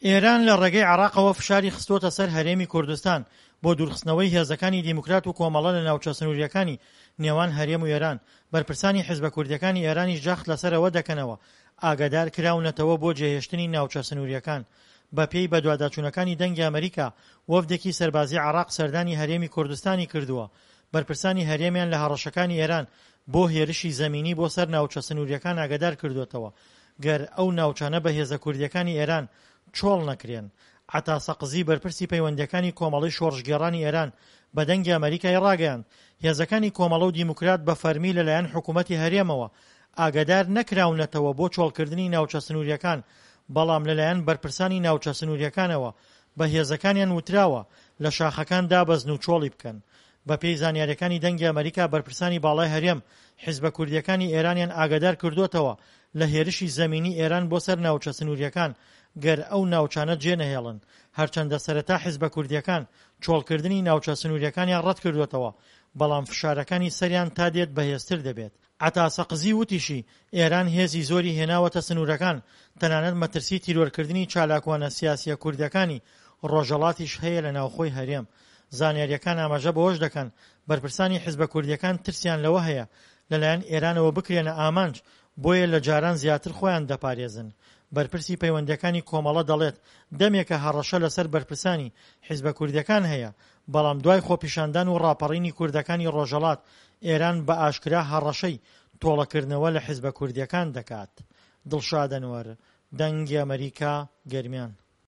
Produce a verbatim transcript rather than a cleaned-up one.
ئێران لە ڕێگەی عێراقەوە فشاری خستووەتە سەر هەرێمی کوردستان بۆ دوورخستنەوەی هێزەکانی دیموکرات و کۆمەڵە لە ناوچە سنوورییەکانی نێوان هەرێم و ئێران، بەرپرسانی حزبە کوردییەکانی ئێرانیش جەخت لەسەر ئەوە دەکەنەوە ئاگادار کراونەتەوە بۆ جێهێشتنی ناوچە سنوورییەکان. بەپێی بەدواداچوونەکانی دەنگی ئەمەریکا، وەفدێکی سەربازی عێراق سەردانی هەرێمی کوردستانی کردووە، بەرپرسانی هەرێمیان لە هەڕەشەکانی ئێران بۆ هێرشی زەمینی بۆ سەر ناوچە سنوورییەکان ئاگادار کردووەتەوە گەر ئەو ناوچانە بە هێزە کوردییەکانی ئێران چۆڵ نەکرێن. عەتا سەقزی بەرپرسی پەیوەندییەکانی کۆمەڵەی شۆڕشگێڕانی ئێران بە دەنگی ئەمەریکای ڕاگەیاند، هێزەکانی کۆمەڵە و دیموکرات بە فەرمی لەلایەن حکوومەتی هەرێمەوە ئاگادار نەکراونەتەوە بۆ چۆڵکردنی ناوچە سنوورییەکان، بەڵام لەلایەن بەرپرسانی ناوچە سنوورییەکانەوە بە هێزەکانیان وتراوە لە شاخەکان دابەزن و چۆڵی بکەن. بەپێی زانیارییەکانی دەنگی ئەمەریکا بەرپرسانی باڵای هەرێم حیزبە کوردییەکانی ئێرانیان ئاگادار کردووەتەوە لە هێرشی زەمینی ئێران بۆ سەر ناوچە سنوورییەکان گەر ئەو ناوچانە جێنەهێڵن، هەرچەندە سەرەتا حیزبە کوردییەکان چۆڵکردنی ناوچە سنوورییەکانیان ڕەتکردووەتەوە، بەڵام فشارەکانی سەریان تا دێت بەهێزتر دەبێت. عەتا سەقزی وتیشی، ئێران هێزی زۆری هێناوەتە سنوورەکان، تەنانەت مەترسی تیرۆرکردنی چالاکوانە سیاسییە کوردەکانی ڕۆژهەڵاتیش هەیە لە ناوخۆی هەرێم. زانیارییەکان ئاماژە بەوەش دەکەن، بەرپرسانی حزبە کوردییەکان ترسیان لەوە هەیە لەلایەن ئێرانەوە بکرێنە ئامانج، بۆیە لە جاران زیاتر خۆیان دەپارێزن. بەرپرسی پەیوەندییەکانی کۆمەڵە دەڵێت، دەمێکە هەڕەشە لەسەر بەرپرسانی حیزبە کوردییەکان هەیە، بەڵام دوای خۆپیشاندان و ڕاپەڕینی کوردەکانی ڕۆژهەڵات، ئێران بە ئاشکرا هەڕەشەی تۆڵەکردنەوە لە حیزبە کوردییەکان دەکات. دڵشاد ئەنوەر، دەنگی ئەمەریکا، گەرمیان.